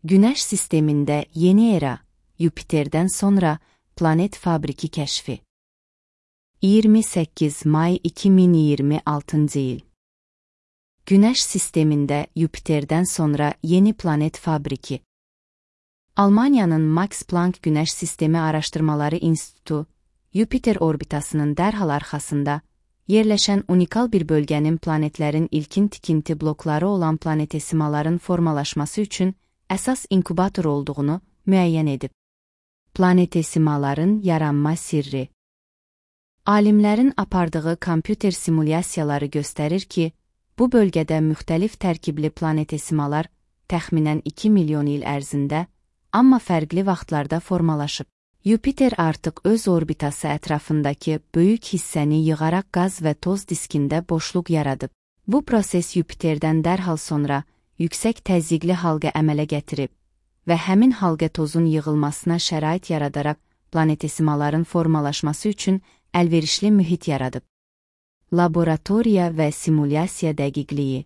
Güneş sisteminde yeni era, Jüpiter'den sonra planet fabriki keşfi. 28 May 2026 yıl. Güneş sisteminde Jüpiter'den sonra yeni planet fabriki. Almanya'nın Max Planck Güneş Sistemi Araştırmaları İnstitutu, Jüpiter orbitasının dərhal arxasında yerləşən unikal bir bölgənin planetlərin ilkin tikinti blokları olan planetesimaların formalaşması üçün əsas inkubator olduğunu müəyyən edib. Planetesimaların yaranma sirri. Alimlərin apardığı kompüter simulyasiyaları göstərir ki, bu bölgədə müxtəlif tərkibli planetesimalar təxminən 2 milyon il ərzində, amma fərqli vaxtlarda formalaşıb. Jüpiter artıq öz orbitası ətrafındakı böyük hissəni yığaraq qaz və toz diskində boşluq yaradıb. Bu proses Jüpiterdən dərhal sonra yüksək təzyiqli halqa əmələ gətirib və həmin halqa tozun yığılmasına şərait yaradaraq planetesimaların formalaşması üçün əlverişli mühit yaradıb. Laboratoriya və simulyasiya dəqiqliyi.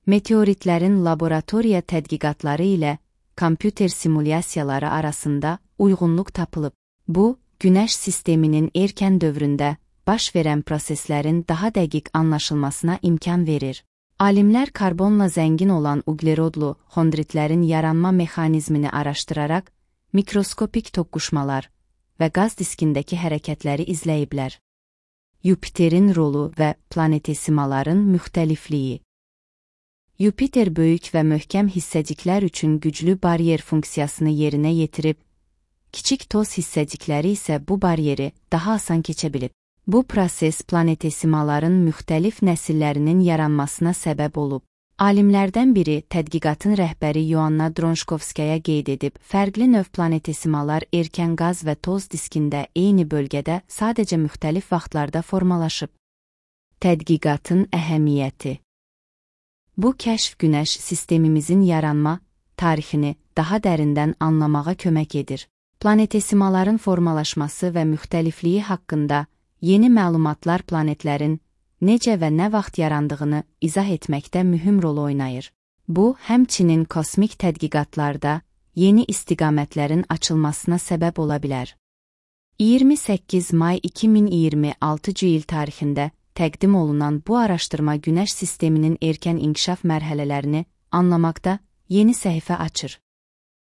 Meteoritlərin laboratoriya tədqiqatları ilə kompüter simulyasiyaları arasında uyğunluq tapılıb. Bu, Güneş sisteminin erkən dövründə baş verən proseslərin daha dəqiq anlaşılmasına imkan verir. Alimlər karbonla zəngin olan uglerodlu xondritlərin yaranma mexanizmini araşdıraraq mikroskopik toqquşmalar və qaz diskindəki hərəkətləri izləyiblər. Jüpiterin rolu və planetesimaların müxtəlifliyi. Jüpiter böyük və möhkəm hissəciklər üçün güclü baryer funksiyasını yerinə yetirib, kiçik toz hissəcikləri isə bu baryeri daha asan keçə bilib. Bu proses planetesimaların müxtəlif nəsillərinin yaranmasına səbəb olub. Alimlərdən biri tədqiqatın rəhbəri Yoanna Dronşkovskaya qeyd edib, fərqli növ planetesimalar erkən qaz və toz diskində eyni bölgədə sadəcə müxtəlif vaxtlarda formalaşıb. Tədqiqatın əhəmiyyəti. Bu kəşf Güneş sistemimizin yaranma tarixini daha dərindən anlamağa kömək edir. Planetesimaların formalaşması və müxtəlifliyi haqqında yeni məlumatlar planetlərin necə və nə vaxt yarandığını izah etməkdə mühüm rol oynayır. Bu, həmçinin kosmik tədqiqatlarda yeni istiqamətlərin açılmasına səbəb ola bilər. 28 May 2026 il tarixində təqdim olunan bu araşdırma Güneş sisteminin erkən inkişaf mərhələlərini anlamaqda yeni səhifə açır.